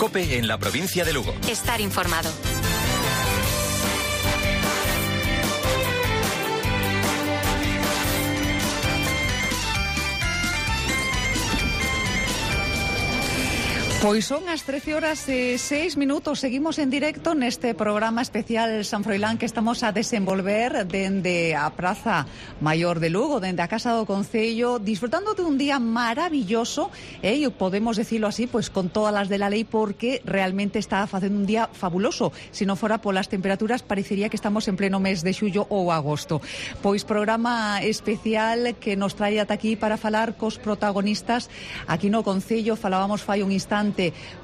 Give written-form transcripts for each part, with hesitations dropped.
COPE en la provincia de Lugo. Estar informado. Pois son as 13:06. Seguimos en directo neste programa especial San Froilán que estamos a desenvolver dende a Praza Maior de Lugo, dende a Casa do Concello, disfrutando de un día maravilloso, e podemos decirlo así, pois con todas las de la lei, porque realmente está facendo un día fabuloso. Se non fora polas temperaturas, parecería que estamos en pleno mes de xullo ou agosto. Pois programa especial que nos trae ata aquí para falar cos protagonistas aquí no Concello. Falábamos fai un instante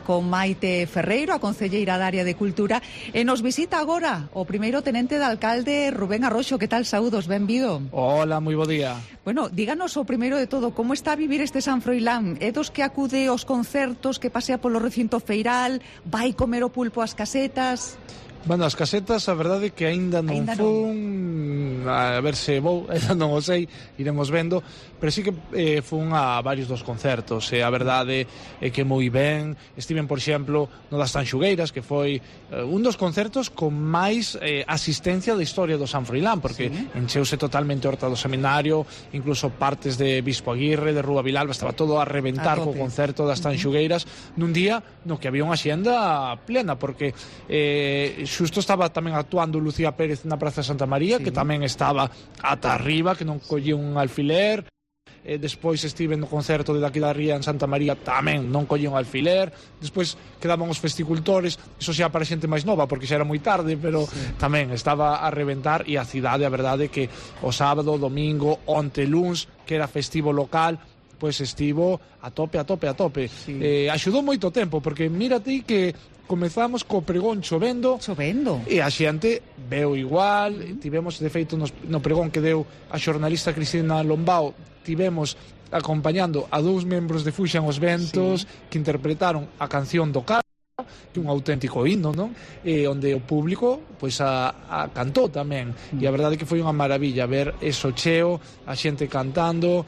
con Maite Ferreiro, a concelleira da área de Cultura, e nos visita agora o primeiro tenente de alcalde, Rubén Arroxo. Que tal? Saúdos, benvido. Hola, moi bo día. Bueno, díganos o primeiro de todo, como está a vivir este San Froilán? É dos que acude aos concertos, que pasea polo recinto feiral, vai comer o pulpo ás casetas? Bueno, as casetas, a verdade é que aínda non fun, a ver se vou, ainda non o sei, iremos vendo, pero sí que fun a varios dos concertos, e a verdade é que moi ben. Estiven, por exemplo, no das Tanxugueiras, que foi un dos concertos con máis asistencia da historia do San Froilán, porque encheuse totalmente a Horta do Seminario, incluso partes de Bispo Aguirre, de Rúa Vilalba, estaba todo a reventar co concerto das Tanxugueiras, nun día no que había unha xenda plena, porque xusto estaba tamén actuando Lucía Pérez na Praza Santa María, que tamén estaba ata arriba, que non collía un alfiler. Despois estive no concerto de daqui da Ría en Santa María, tamén non collía un alfiler. Despois quedaban os festicultores, iso xa para xente máis nova, porque xa era moi tarde, pero tamén estaba a reventar. E a cidade, a verdade, que o sábado, domingo, onte luns, que era festivo local, pois estivo a tope. Axudou moito tempo, porque mírate que comezamos co pregón chovendo e a xente veu igual. Tivemos, de feito, no pregón que deu a xornalista Cristina Lombao, tivemos acompañando a 2 membros de Fuxan os Ventos, que interpretaron a canción do Carlos, que un auténtico himno, non? Onde o público pois a cantou tamén, e a verdade que foi unha maravilla ver eso cheo, a xente cantando,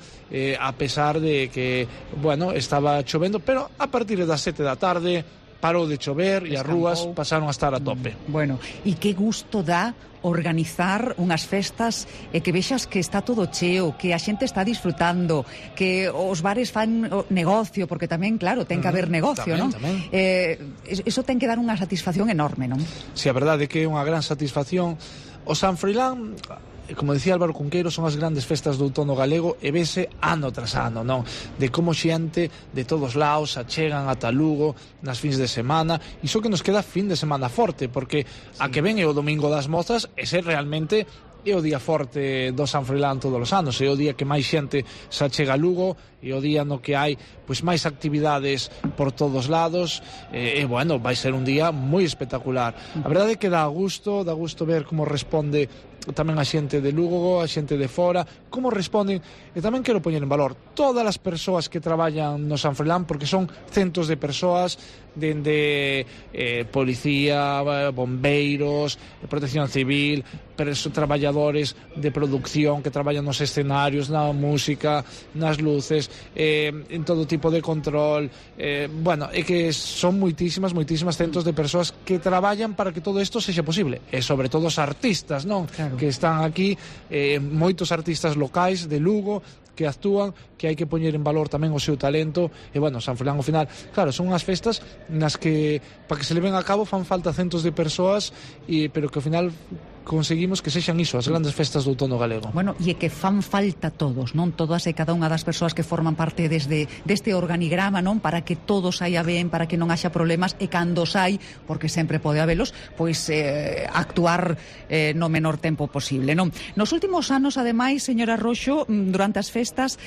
a pesar de que, bueno, estaba chovendo, pero a partir das 7 da tarde parou de chover e as rúas pasaron a estar a tope. Bueno, e que gusto dá organizar unhas festas e que vexas que está todo cheo, que a xente está disfrutando, que os bares fan negocio, porque tamén, claro, ten que haber negocio, non? Eso ten que dar unha satisfacción enorme, non? Si, a verdade é que é unha gran satisfacción. O San Froilán, como decía Álvaro Cunqueiro, son as grandes festas do outono galego, e vese ano tras ano, non? De como xente de todos lados achegan ata Lugo nas fins de semana, e iso que nos queda fin de semana forte, porque a que ven é o Domingo das Mozas, e ser realmente é o día forte do San Froilán todos os anos, é o día que máis xente se achega a Lugo, e o día no que hai pois máis actividades por todos lados, e bueno, vai ser un día moi espectacular. A verdade é que dá gusto ver como responde tamén a xente de Lugo, a xente de fora, como responden, e tamén quero poñer en valor todas as persoas que traballan no San Froilán, porque son centos de persoas, dende policía, bombeiros, protección civil, traballadores de producción que traballan nos escenarios, na música, nas luces, en todo tipo de control. Bueno, é que son moitísimas centos de persoas que traballan para que todo isto sexa posible, e sobre todo os artistas, non? Claro. Que están aquí, moitos artistas locais de Lugo que actúan, que hai que poñer en valor tamén o seu talento. E bueno, San Froilán ao final, claro, son unhas festas nas que para que se leven a cabo fan falta centos de persoas, pero que ao final conseguimos que sexan iso, as grandes festas do outono galego. Bueno, e que fan falta todos, non? Todas e cada unha das persoas que forman parte deste organigrama, non? Para que todo saia ben, para que non haxa problemas, e cando sai, porque sempre pode habelos, pois actuar no menor tempo posible, non? Nos últimos anos, ademais, señora Roxo, durante as festas,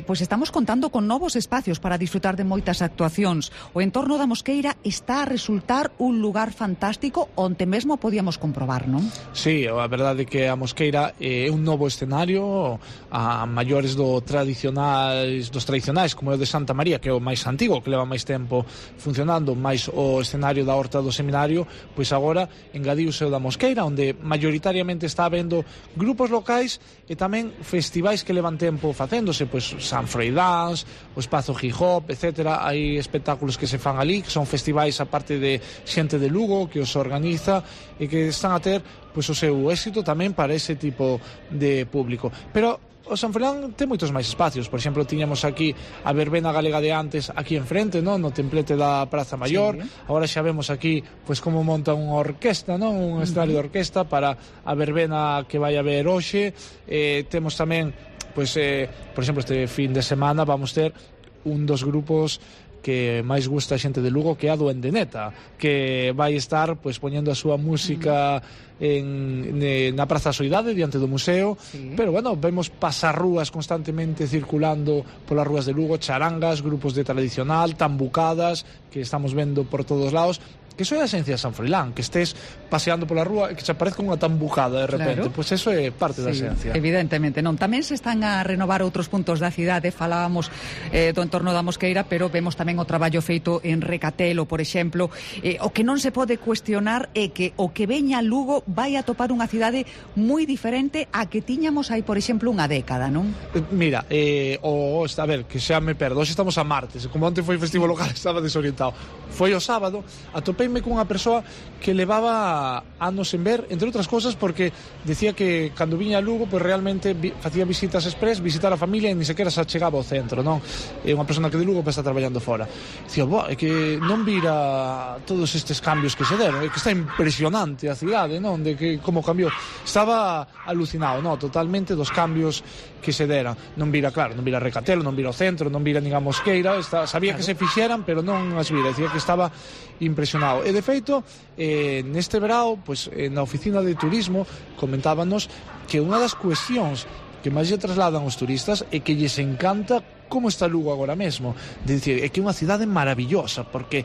pois estamos contando con novos espacios para disfrutar de moitas actuacións. O entorno da Mosqueira está a resultar un lugar fantástico onde mesmo podíamos comprobar, non? Sí, Sí, a verdade é que a Mosqueira é un novo escenario a maiores dos tradicionais, como é o de Santa María, que é o máis antigo, que leva máis tempo funcionando, máis o escenario da Horta do Seminario, pois agora engadiuse o da Mosqueira, onde maioritariamente está habendo grupos locais e tamén festivais que levan tempo facéndose, pois San Froilán, o Espazo Hip-Hop, etc. Hai espectáculos que se fan ali, que son festivais a parte de xente de Lugo que os organiza e que están a ter pois o seu éxito tamén para ese tipo de público. Pero o San Froilán ten moitos máis espacios. Por exemplo, tiñamos aquí a verbena galega de antes aquí enfrente, non? No templete da Praza Maior. Sí. Agora xa vemos aquí pois como monta unha orquesta, non? Un escenario de orquesta para a verbena que vai haber hoxe. Temos tamén pois, por exemplo, este fin de semana vamos ter un dos grupos que máis gusta a xente de Lugo, que é a Duendeneta, que vai estar pois poñendo a súa música na Praza Soidade diante do museo, sí. Pero bueno, vemos pasarrúas constantemente circulando polas rúas de Lugo, charangas, grupos de tradicional, tambucadas que estamos vendo por todos lados, que iso é a esencia de San Froilán, que estés paseando pola rúa e que se aparezca unha tambucada de repente, claro. Pois eso é parte da esencia. Evidentemente, non. Tamén se están a renovar outros puntos da cidade, falábamos do entorno da Mosqueira, pero vemos tamén o traballo feito en Recatelo, por exemplo. O que non se pode cuestionar é que o que veña Lugo vai a topar unha cidade moi diferente a que tiñamos aí, por exemplo, unha década, non? Mira, a ver, que xa me perdo, hoxe estamos a martes, como onte foi festivo local estaba desorientado. Foi o sábado, atopeime con unha persoa que levaba anos en ver, entre outras cousas porque decía que cando viña a Lugo pois realmente facía visitas express, visitar a familia e ni sequera se achegaba ao centro, non? É unha persona que de Lugo está traballando fora. Dicía, é que non vira todos estes cambios que se deron, é que está impresionante a cidade, non? De que como cambiou. Estaba alucinado, non? Totalmente dos cambios que se deran. Non vira, claro, non vira Recatelo, non vira o centro, non vira nin a Mosqueira, sabía que se fixeran, pero non as vira, decía que estaba impresionado. E de feito, neste verao, pois, na oficina de turismo comentábanos que unha das cuestións que máis lle trasladan os turistas é que lles encanta como está Lugo agora mesmo. De dicir, é que é unha cidade maravillosa, porque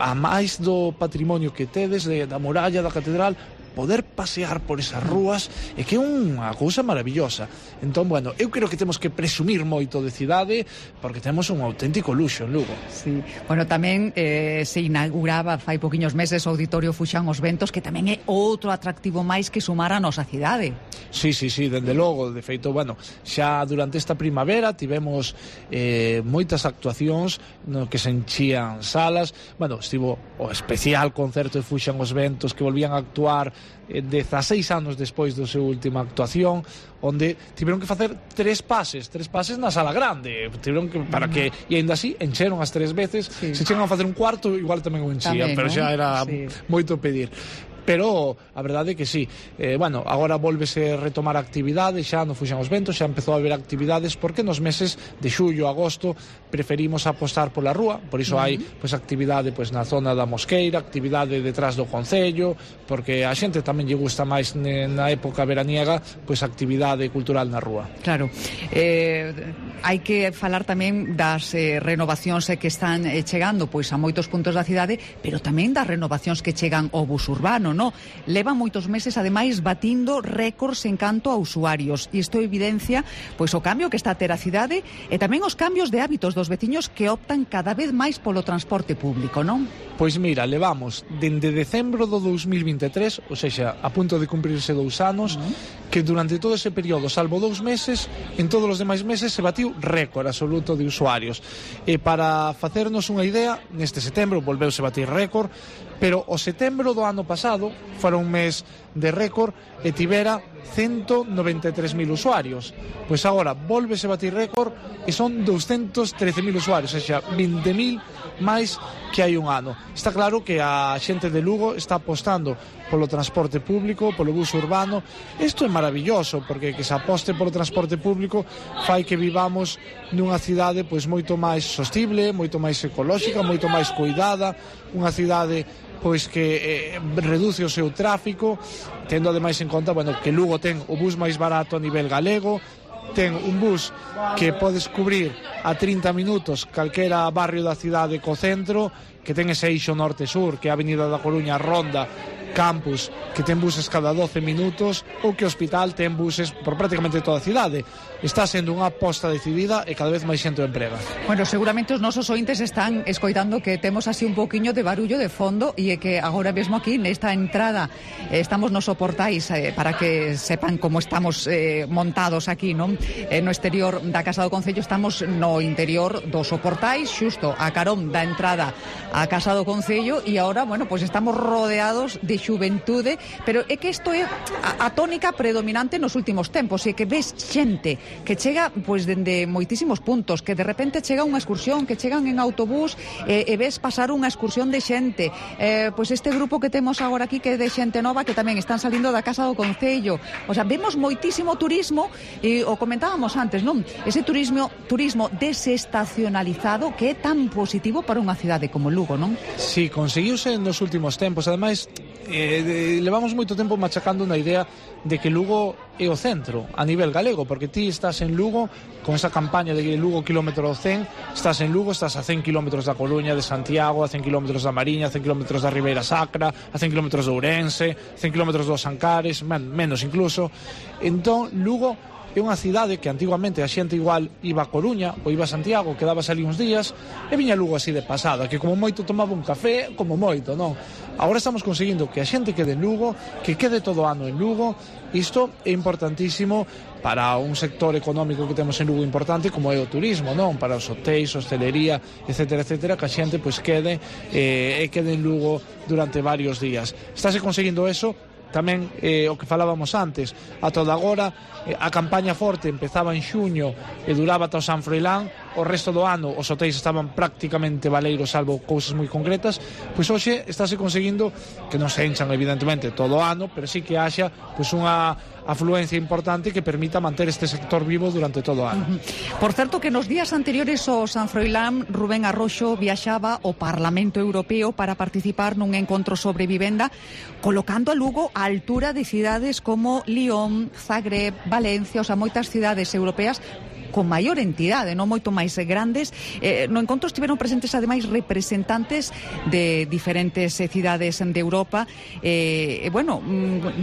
a máis do patrimonio que tedes, da muralla, da catedral, poder pasear por esas rúas é que é unha cousa maravillosa. Entón, bueno, eu creo que temos que presumir moito de cidade porque temos un auténtico luxo en Lugo. Sí. Bueno, tamén se inauguraba fai poquiños meses o Auditorio Fuxán os Ventos, que tamén é outro atractivo máis que sumar a nosa cidade. Sí, dende logo. De feito, bueno, xa durante esta primavera tivemos moitas actuacións no que se enchían salas. Bueno, estivo o especial concerto de Fuxán os Ventos, que volvían a actuar 16 anos despois da súa última actuación, onde tiveron que facer tres pases na sala grande, tiveron que, para que, e ainda así encheron as 3 veces. Sí. Se chegan a facer un cuarto igual tamén o enchían, pero xa era moito pedir. Pero a verdade é que sí. Bueno, agora volvese retomar a actividade, xa non fuxan os ventos, xa empezou a haber actividades, porque nos meses de xullo, agosto preferimos apostar pola rúa, por iso hai pois actividade pois na zona da Mosqueira, actividade detrás do concello, porque a xente tamén lle gusta máis na época veraniega pois actividade cultural na rúa. Claro. Hai que falar tamén das renovacións que están chegando pois a moitos puntos da cidade, pero tamén das renovacións que chegan ao bus urbano, no? Levan moitos meses, ademais, batindo récords en canto a usuarios, e isto evidencia pois o cambio que está a ter a cidade e tamén os cambios de hábitos dos veciños que optan cada vez máis polo transporte público, non? Pois mira, levamos dende decembro do 2023, ou seja, a punto de cumprirse 2 anos, que durante todo ese período, salvo 2 meses, en todos os demais meses se batiu récord absoluto de usuarios. E para facernos unha idea, neste setembro volveuse a batir récord, pero o setembro do ano pasado fora un mes de récord e tivera 193.000 usuarios. Pois agora volvese a batir récord e son 213.000 usuarios, ou seja, 20.000 máis que hai un ano. Está claro que a xente de Lugo está apostando polo transporte público, polo bus urbano. Isto é maravilloso, porque que se aposte polo transporte público fai que vivamos nunha cidade pois moito máis sostible, moito máis ecolóxica, moito máis cuidada, unha cidade pois que reduce o seu tráfico, tendo ademais en conta, bueno, que Lugo ten o bus máis barato a nivel galego, ten un bus que podes cubrir a 30 minutos calquera barrio da cidade co centro, que ten ese eixo norte-sur, que é a Avenida da Coruña, Ronda, campus que ten buses cada 12 minutos ou que o hospital ten buses por prácticamente toda a cidade. Está sendo unha aposta decidida e cada vez máis xente o emprega. Bueno, seguramente os nosos ointes están escoitando que temos así un poquinho de barullo de fondo e é que agora mesmo aquí nesta entrada estamos nos soportais para que sepan como estamos montados aquí, non? No exterior da Casa do Concello, estamos no interior dos soportais, xusto a carón da entrada á Casa do Concello, e agora, bueno, pois estamos rodeados de xuventude, pero é que isto é a tónica predominante nos últimos tempos, e que ves xente que chega pois dende moitísimos puntos, que de repente chega unha excursión, que chegan en autobús e ves pasar unha excursión de xente, pois este grupo que temos agora aquí que é de xente nova que tamén están salindo da Casa do Concello. O sea, vemos moitísimo turismo e o comentábamos antes, non? Ese turismo desestacionalizado que é tan positivo para unha cidade como Lugo, non? Sí, conseguiuse nos últimos tempos. Ademais, levamos moito tempo machacando na idea de que Lugo é o centro a nivel galego, porque ti estás en Lugo con esa campaña de Lugo kilómetro 100, estás en Lugo, estás a 100 kilómetros da Coruña, de Santiago, a 100 kilómetros da Mariña, a 100 kilómetros da Ribeira Sacra, a 100 kilómetros de Ourense, 100 kilómetros dos Ancares, menos incluso. Entón, Lugo é unha cidade que antigamente a xente igual iba a Coruña ou iba a Santiago, quedabas ali uns días e viña Lugo así de pasada, que como moito tomaba un café, como moito, non? Agora estamos conseguindo que a xente quede en Lugo, que quede todo o ano en Lugo. Isto é importantísimo para un sector económico que temos en Lugo importante como é o turismo, non? Para os hotéis, hostelería, etcétera, etcétera, que a xente pois quede en Lugo durante varios días. Estáse conseguindo eso. Tamén o que falábamos antes, a toda agora a campaña forte empezaba en xuño e duraba ata o San Froilán. O resto do ano os hotéis estaban prácticamente baleiros, salvo cousas moi concretas. Pois hoxe estáse conseguindo que non se enchan evidentemente todo o ano, pero sí que haxa pois unha afluencia importante que permita manter este sector vivo durante todo o ano. Por certo que nos días anteriores ao San Froilán, Rubén Arroxo viaxaba ao Parlamento Europeo para participar nun encontro sobre vivenda, colocando a Lugo á altura de cidades como Lyon, Zagreb, Valencia, o sea, moitas cidades europeas con maior entidade, non moito máis grandes. No encontro estiveron presentes ademais representantes de diferentes cidades de Europa. Bueno,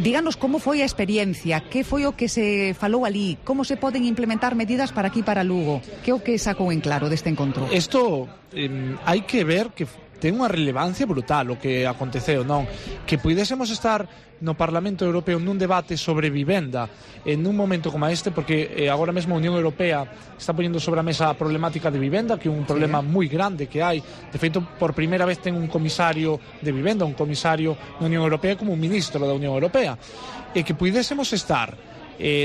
díganos como foi a experiencia, que foi o que se falou ali, como se poden implementar medidas para aquí, para Lugo. Que é o que sacou en claro deste encontro? Isto hai que ver que ten unha relevancia brutal o que aconteceu, non? Que puidésemos estar no Parlamento Europeo nun debate sobre vivenda en un momento como este, porque agora mesmo a Unión Europea está poñendo sobre a mesa a problemática de vivenda, que é un problema moi grande que hai. De feito, por primeira vez ten un comisario de vivenda, un comisario da Unión Europea como un ministro da Unión Europea. E que puidésemos estar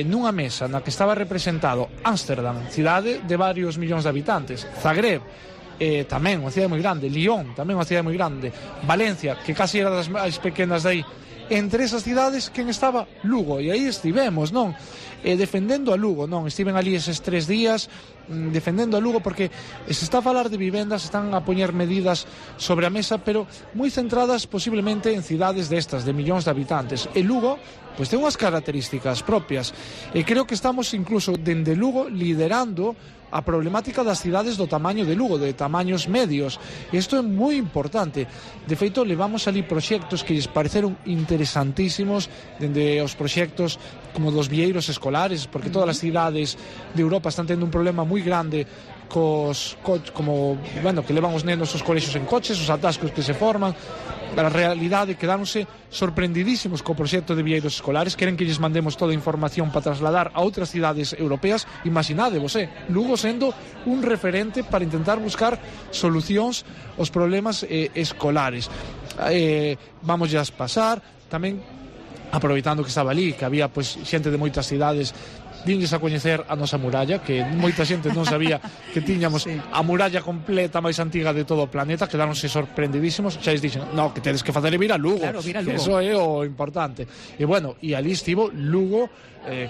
nunha mesa na que estaba representado Ámsterdam, cidade de varios millóns de habitantes, Zagreb, tamén unha cidade moi grande, Lyon, tamén unha cidade moi grande, Valencia, que casi era das máis pequenas de aí. Entre esas cidades, quen estaba? Lugo, e aí estivemos, non? Defendendo a Lugo, non? Estiven ali eses 3 días defendendo a Lugo, porque se está a falar de vivendas, están a poñer medidas sobre a mesa, pero moi centradas posiblemente en cidades destas, de millóns de habitantes. E Lugo pois ten unhas características propias, e creo que estamos incluso dende Lugo liderando a problemática das cidades do tamaño de Lugo, de tamaños medios. Isto é moi importante. De feito, levamos ali proxectos que lles pareceron interesantísimos, dende os proxectos como dos vieiros escolares, porque todas as cidades de Europa están tendo un problema moi grande como, bueno, que levan os nenos aos colexios en coches, os atascos que se forman. A realidade, quedáronse sorprendidísimos co proxecto de vieiros escolares, queren que lles mandemos toda a información para trasladar a outras cidades europeas. Imaginadevos, Lugo sendo un referente para intentar buscar solucións aos problemas escolares. Vamos a pasar tamén, aproveitando que estaba ali, que había pois xente de moitas cidades, dinlles a coñecer a nosa muralla, que moita xente non sabía que tiñamos a muralla completa máis antiga de todo o planeta. Quedáronse sorprendidísimos, xa lles dixen, no, que tedes que facer vir a Lugo, claro, vir a Lugo. Que eso é o importante. E bueno, e ali estivo Lugo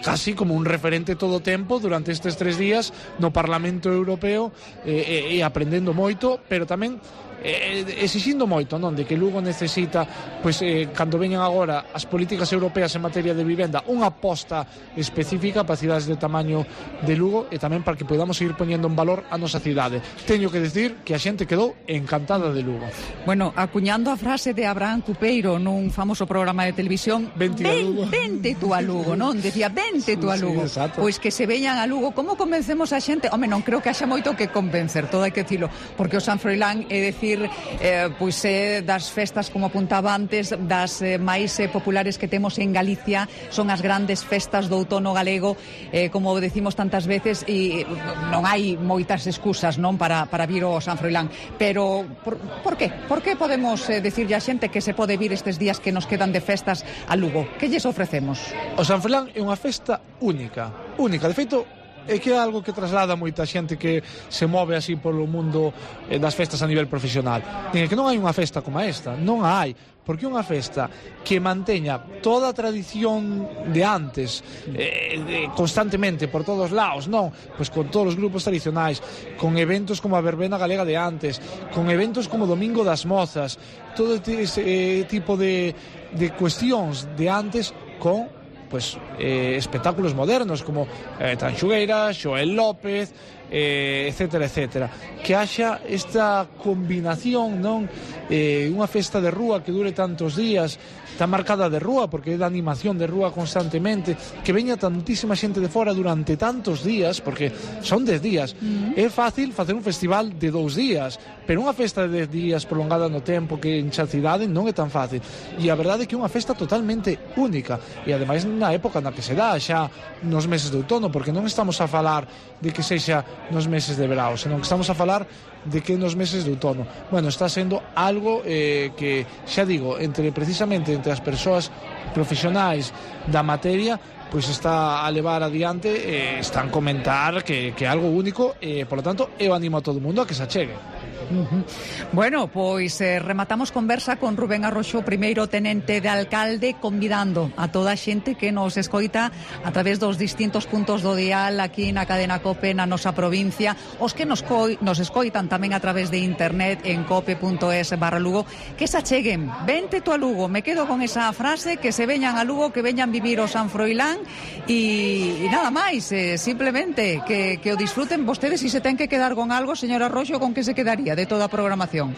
casi como un referente todo o tempo durante estes 3 días no Parlamento Europeo, e aprendendo moito, pero tamén exixindo moito, non, de que Lugo necesita, pois, cando veñan agora as políticas europeas en materia de vivenda, unha aposta específica para cidades de tamaño de Lugo e tamén para que podamos seguir poñendo en valor a nosa cidade. Teño que decir que a xente quedou encantada de Lugo. Bueno, acuñando a frase de Abraham Cupeiro nun famoso programa de televisión, vente tú a Lugo, non? Decía, vente tú a Lugo. Sí, pois que se veñan a Lugo. Como convencemos a xente? Home, non creo que haxa moito que convencer, todo hai que dicilo, porque o San Froilán é decir, pois das festas, como apuntaba antes, das máis populares que temos en Galicia, son as grandes festas do outono galego, como decimos tantas veces, e non hai moitas excusas, non, para vir ao San Froilán, pero por qué? Por que podemos decirlle a xente que se pode vir estes días que nos quedan de festas a Lugo? Que lles ofrecemos? O San Froilán é unha festa única, de feito, é que é algo que traslada moita xente que se move así polo mundo das festas a nivel profesional. Diga que non hai unha festa como esta, non a hai, porque unha festa que manteña toda a tradición de antes, constantemente por todos lados, non? Pois con todos os grupos tradicionais, con eventos como a verbena galega de antes, con eventos como Domingo das Mozas, todo ese tipo de cuestións de antes, con pues espectáculos modernos como Tanxugueira, Xoel López, etcétera, etcétera. Que haxa esta combinación, non? Unha festa de rúa que dure tantos días, tan marcada de rúa, porque é da animación de rúa constantemente, que veña tantísima xente de fora durante tantos días, porque son 10 días. É fácil facer un festival de 2 días, pero unha festa de 10 días prolongada no tempo que enche a cidade non é tan fácil. E a verdade é que é unha festa totalmente única, e ademais na época na que se dá, xa nos meses de outono, porque non estamos a falar de que sexa nos meses de verão, senón que estamos a falar de que nos meses de outono. Bueno, está sendo algo que, xa digo, precisamente entre as persoas profesionais da materia, pois está a levar adiante, están comentar que é algo único, e, polo tanto, eu animo a todo o mundo a que se achegue. Bueno, pois rematamos conversa con Rubén Arroxo, primeiro tenente de alcalde, convidando a toda a xente que nos escoita a través dos distintos puntos do dial aquí na cadena COPE na nosa provincia, os que nos escoitan tamén a través de internet en cope.es/Lugo, que se acheguen. Vente tú a Lugo, me quedo con esa frase, que se veñan a Lugo, que veñan vivir o San Froilán, e nada máis, simplemente que o disfruten vostedes. E se ten que quedar con algo, señor Arroxo, con que se quedaría de toda a programación?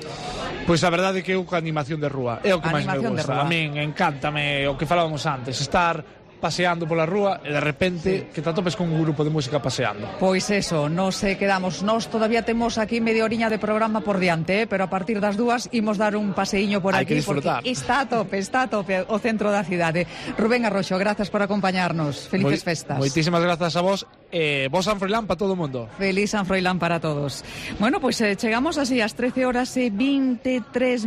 Pois a verdade é que eu con animación de rúa é o que máis me gusta. A min encántame o que falábamos antes, estar paseando pola rúa e de repente que te atopes con un grupo de música paseando. Pois eso, nos quedamos. Nos todavía temos aquí media oriña de programa por diante, pero a partir das 2 imos dar un paseíño por aquí, porque está a tope o centro da cidade. Rubén Arroxo, grazas por acompañarnos. Felices festas. Moitísimas grazas a vos. Vos San Froilán para todo o mundo. Feliz San Froilán para todos. Bueno, pois chegamos así ás 13:23.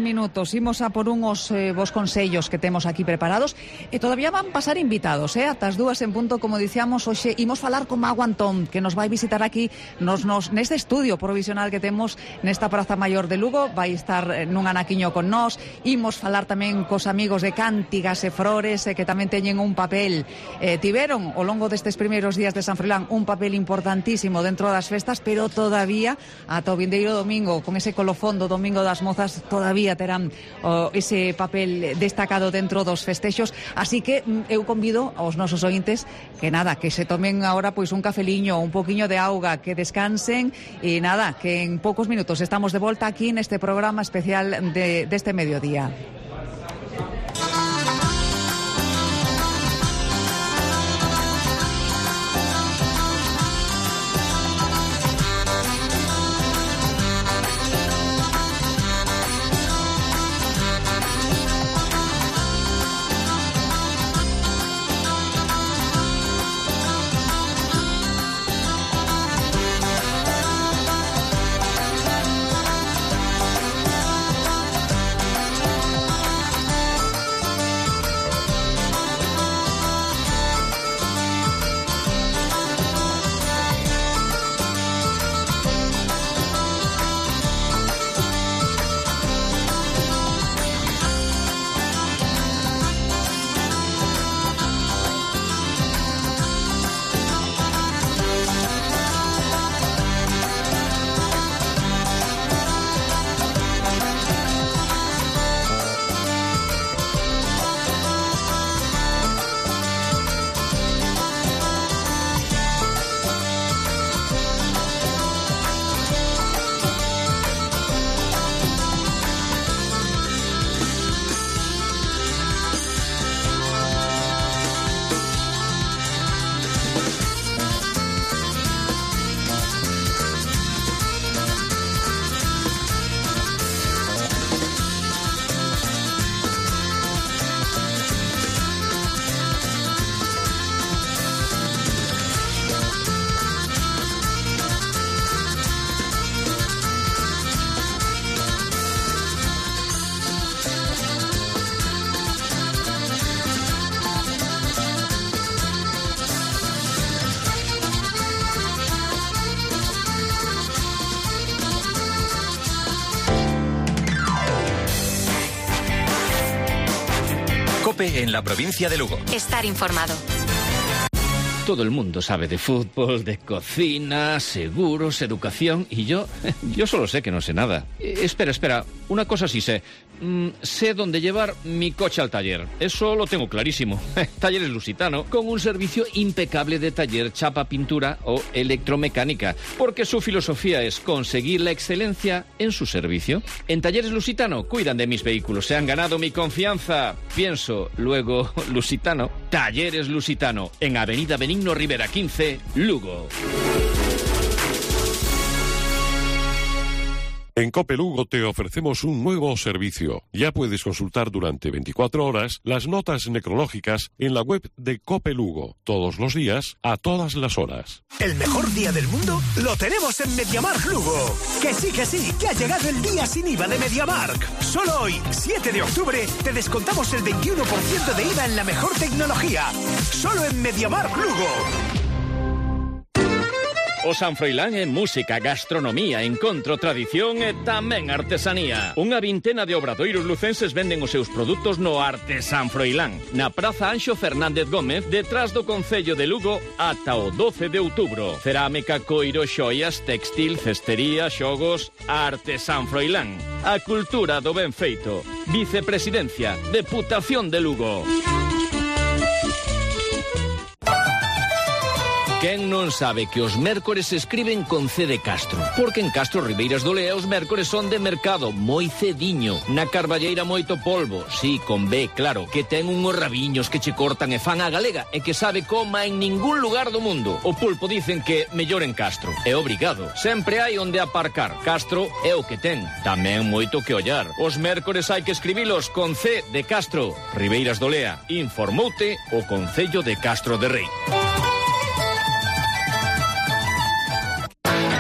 Imos a por unhos vos consellos que temos aquí preparados, e todavía van pasar invitados, ata as 2 en punto, como dicíamos. Hoxe imos falar con Mago Antón, que nos vai visitar aquí neste estudio provisional que temos nesta Praza Maior de Lugo. Vai estar nun anaquiño con nós. Imos falar tamén cos amigos de Cántigas e Frores, que tamén teñen un papel, tiveron ao longo destes primeiros días de San Froilán un papel importantísimo dentro das festas, pero todavía ata o vindeiro domingo, con ese colofón do Domingo das Mozas, todavía terán ese papel destacado dentro dos festexos. Así que eu convido aos nosos ointes que nada, que se tomen agora pois un cafeliño, un poquinho de auga, que descansen, e nada, que en poucos minutos estamos de volta aquí neste programa especial deste mediodía. COPE en la provincia de Lugo. Estar informado. Todo el mundo sabe de fútbol, de cocina, seguros, educación, y yo solo sé que no sé nada. Espera, una cosa sí sé. Sé dónde llevar mi coche al taller. Eso lo tengo clarísimo. Talleres Lusitano, con un servicio impecable de taller, chapa, pintura o electromecánica, porque su filosofía es conseguir la excelencia en su servicio. En Talleres Lusitano cuidan de mis vehículos, se han ganado mi confianza. Pienso, luego, Lusitano. Talleres Lusitano, en Avenida Benigno Rivera 15, Lugo. En COPE Lugo te ofrecemos un nuevo servicio. Ya puedes consultar durante 24 horas las notas necrológicas en la web de COPE Lugo. Todos los días, a todas las horas. El mejor día del mundo lo tenemos en MediaMarkt Lugo. Que sí, que ha llegado el día sin IVA de MediaMarkt. Solo hoy, 7 de octubre, te descontamos el 21% de IVA en la mejor tecnología. Solo en MediaMarkt Lugo. O San Froilán en música, gastronomía, encontro, tradición e tamén artesanía. Unha vintena de obradoiros lucenses venden os seus produtos no Arte San Froilán, na Praza Anxo Fernández Gómez, detrás do Concello de Lugo, ata o 12 de outubro. Cerámica, coiro, xoias, textil, cestería, xogos, Arte San Froilán. A cultura do ben feito. Vicepresidencia, Deputación de Lugo. Quen non sabe que os mércores se escriben con C de Castro? Porque en Castro Ribeiras do Lea os mércores son de mercado, moi cediño. Na Carballeira moito polvo, sí, con B, claro, que ten unhos rabiños que che cortan e fan a galega e que sabe coma en ningún lugar do mundo. O pulpo dicen que mellor en Castro. É obrigado. Sempre hai onde aparcar. Castro é o que ten. Tamén moito que ollar. Os mércores hai que escribilos con C de Castro. Ribeiras do Lea. Informoute o Concello de Castro de Rei.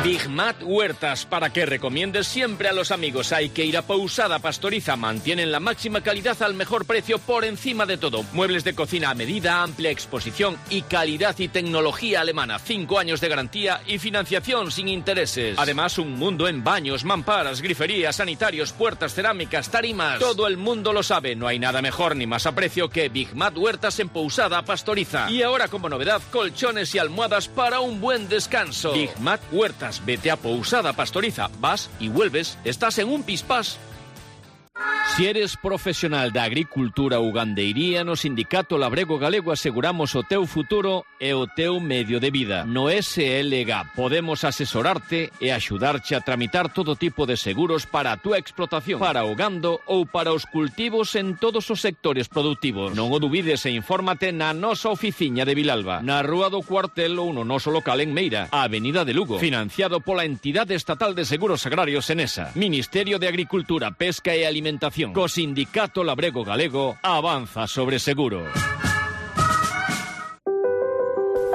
Big Mat Huertas, para que recomiendes siempre a los amigos. Hay que ir a Pousada Pastoriza. Mantienen la máxima calidad al mejor precio por encima de todo. Muebles de cocina a medida, amplia exposición y calidad y tecnología alemana. 5 años de garantía y financiación sin intereses. Además, un mundo en baños, mamparas, griferías, sanitarios, puertas, cerámicas, tarimas. Todo el mundo lo sabe. No hay nada mejor ni más a precio que Big Mat Huertas en Pousada Pastoriza. Y ahora, como novedad, colchones y almohadas para un buen descanso. Big Mat Huertas. Vete a Pousada Pastoriza, vas y vuelves, estás en un pispás. Si eres profesional da agricultura ou gandeiría, no Sindicato Labrego Galego aseguramos o teu futuro e o teu medio de vida. No SLG podemos asesorarte e axudarche a tramitar todo tipo de seguros para a túa explotación, para o gando ou para os cultivos en todos os sectores productivos. Non o dubides e infórmate na nosa oficiña de Vilalba, na Rúa do Cuartel ou no noso local en Meira, a Avenida de Lugo, financiado pola Entidade Estatal de Seguros Agrarios Enesa, Ministerio de Agricultura, Pesca e Alimentación. Co Sindicato Labrego Galego avanza sobre seguros.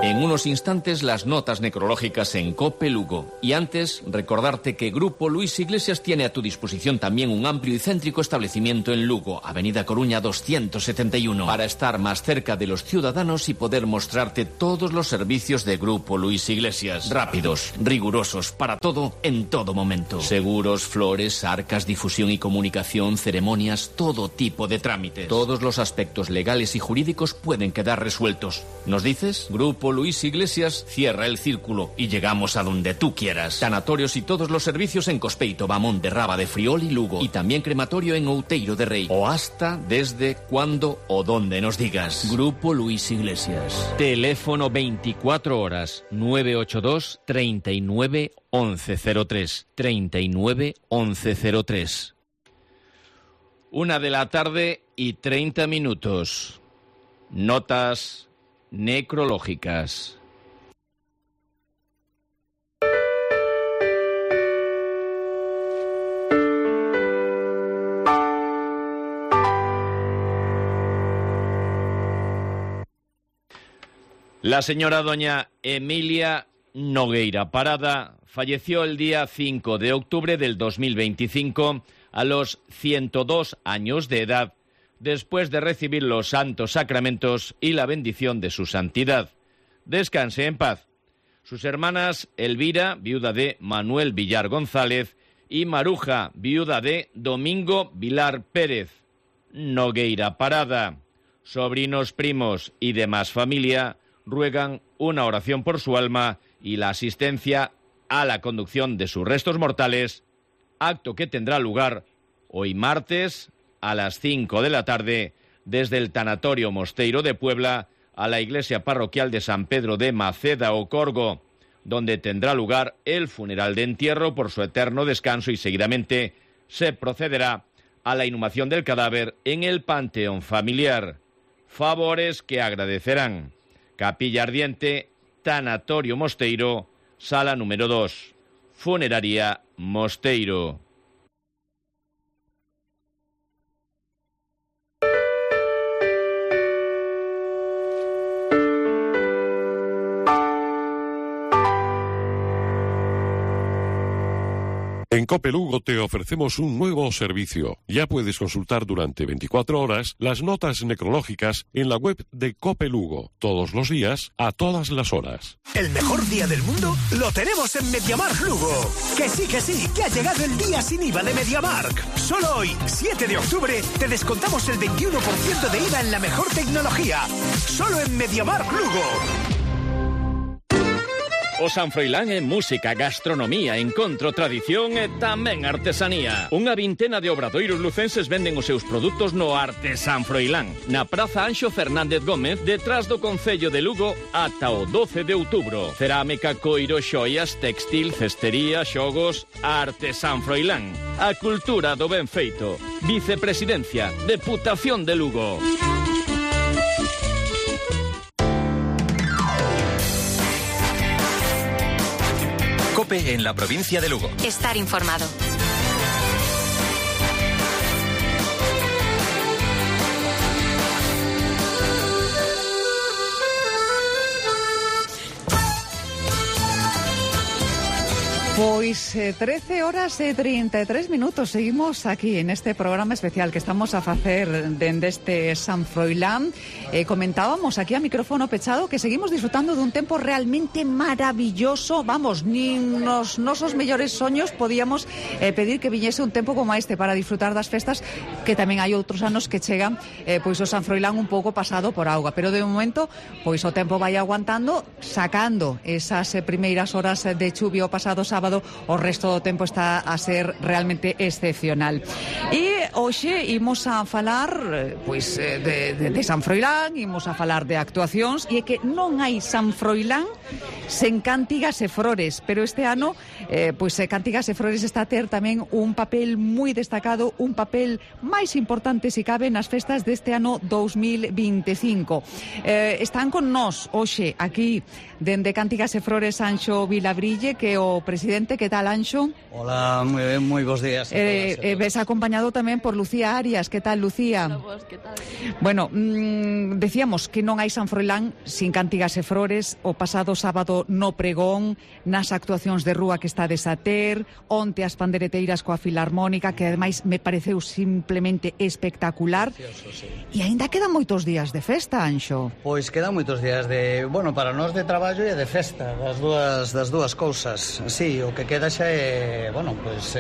En unos instantes las notas necrológicas en COPE Lugo. Y antes, recordarte que Grupo Luis Iglesias tiene a tu disposición también un amplio y céntrico establecimiento en Lugo, Avenida Coruña 271, para estar más cerca de los ciudadanos y poder mostrarte todos los servicios de Grupo Luis Iglesias. Rápidos, rigurosos, para todo, en todo momento. Seguros, flores, arcas, difusión y comunicación, ceremonias, todo tipo de trámites. Todos los aspectos legales y jurídicos pueden quedar resueltos. ¿Nos dices? Grupo Luis Iglesias cierra el círculo y llegamos a donde tú quieras. Tanatorios y todos los servicios en Cospeito, Bamón de Raba, de Friol y Lugo. Y también crematorio en Outeiro de Rei. O hasta, desde, cuando o donde nos digas. Grupo Luis Iglesias. Teléfono 24 horas 982 39 1103. 39 1103. 1 de la tarde y 30 minutos. Notas necrológicas. La señora doña Emilia Nogueira Parada falleció el día 5 de octubre del 2025 a los 102 años de edad, después de recibir los santos sacramentos y la bendición de su santidad. Descanse en paz. Sus hermanas Elvira, viuda de Manuel Villar González, y Maruja, viuda de Domingo Vilar Pérez. Nogueira Parada. sobrinos, primos y demás familia ruegan una oración por su alma y la asistencia a la conducción de sus restos mortales, acto que tendrá lugar hoy martes a las 5 de la tarde desde el Tanatorio Mosteiro de Puebla a la iglesia parroquial de San Pedro de Maceda o Corgo, donde tendrá lugar el funeral de entierro por su eterno descanso y seguidamente se procederá a la inhumación del cadáver en el panteón familiar. Favores que agradecerán. Capilla Ardiente, Tanatorio Mosteiro, sala número 2, Funeraria Mosteiro. En Cope Lugo te ofrecemos un nuevo servicio. Ya puedes consultar durante 24 horas las notas necrológicas en la web de Cope Lugo. Todos los días, a todas las horas. El mejor día del mundo lo tenemos en MediaMarkt Lugo. Que sí, que ha llegado el día sin IVA de MediaMarkt. Solo hoy, 7 de octubre, te descontamos el 21% de IVA en la mejor tecnología. Solo en MediaMarkt Lugo. O San Froilán en música, gastronomía, encontro, tradición e tamén artesanía. Unha vintena de obradoiros lucenses venden os seus produtos no Arte San Froilán, na Praza Anxo Fernández Gómez, detrás do Concello de Lugo, ata o 12 de outubro. Cerámica, coiro, xoias, textil, cestería, xogos, Arte San Froilán. A cultura do ben feito. Vicepresidencia, Deputación de Lugo. COPE en la provincia de Lugo. Estar informado. Pois 13 horas e 33 minutos. Seguimos aquí en este programa especial que estamos a facer dende este San Froilán. Comentábamos aquí a micrófono pechado que seguimos disfrutando dun tempo realmente maravilloso. Vamos, nin nos nosos mellores soños podíamos pedir que viñese un tempo como este para disfrutar das festas, que tamén hai outros anos que chegan pois o San Froilán un pouco pasado por auga, pero de momento pois o tempo vai aguantando, sacando esas primeiras horas de chuvia o pasado sábado. O resto do tempo está a ser realmente excepcional. E hoxe imos a falar pois de San Froilán, imos a falar de actuacións, e é que non hai San Froilán sen Cántigas e Frores, pero este ano pois Cántigas e Frores está a ter tamén un papel moi destacado, un papel máis importante se cabe nas festas deste ano 2025. Están con nós hoxe aquí dende Cántigas e Frores Anxo Vilabrille, que é o presidente. ¿Qué tal, Anxo? Hola, muy bien, muy buenos días. Ves acompañado tamén por Lucía Arias. ¿Qué tal, Lucía? Hola, vos, ¿qué tal? Bueno, decíamos que non hai San Froilán sin Cántigas e Frores. O pasado sábado no pregón, nas actuacións de rúa que estades a ter, onte as pandereteiras coa Filarmónica, que ademais me pareceu simplemente espectacular. Precioso, sí. E aínda quedan moitos días de festa, Anxo. Pois quedan moitos días de, bueno, para nós de traballo e de festa, das dúas cousas. Sí, o que queda xa é, bueno, pois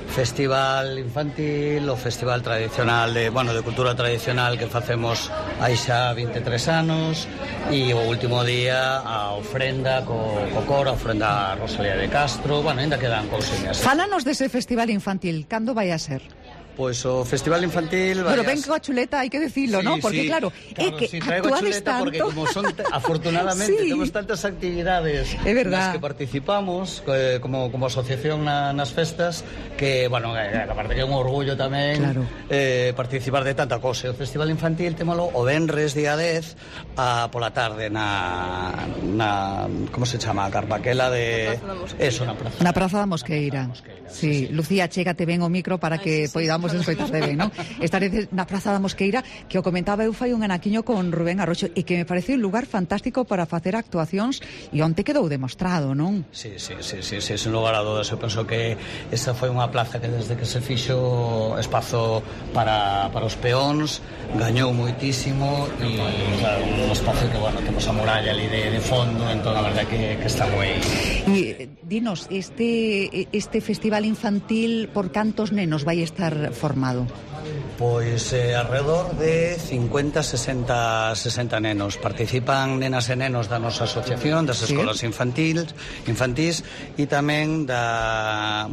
festival infantil, o festival tradicional de, bueno, de cultura tradicional que facemos hai xa 23 anos, e o último día a ofrenda co coro, a ofrenda a Rosalía de Castro. Bueno, ainda quedan cousiñas. Fálanos dese festival infantil, cando vai a ser? Pois o festival infantil... Pero ven coa chuleta, hai que decirlo, ¿no? Porque claro, é que sí, traigo actuades chuleta tanto... porque como son, afortunadamente, sí, temos tantas actividades nas que participamos como asociación nas festas, que, bueno, aparte que é un orgullo tamén, claro, participar de tanta cosa. O festival infantil témolo o venres día 10 pola tarde na como se chama? A Carpaquela de... Eso, na Praza da Mosqueira. Sí, Lucía, chégate ben o micro para que poidamos escoitarte ben, non? Estaré na Praza da Mosqueira, que o comentaba eu fai un anaquiño con Rubén Arroxo, e que me parece un lugar fantástico para facer actuacións, e onte quedou demostrado, non? Sí, sin lugar a dudas. Eu penso que esa foi unha plaza que desde que se fixo espazo para os peóns, gañou moitísimo, e claro, un espazo que, bueno, temos a muralla ali de fondo, entón a verdade que está moi... E dinos, este festival infantil por cantos nenos vai estar formado? Pois alrededor de 50, 60 nenos. Participan nenas e nenos da nosa asociación, das escolas infantís e tamén da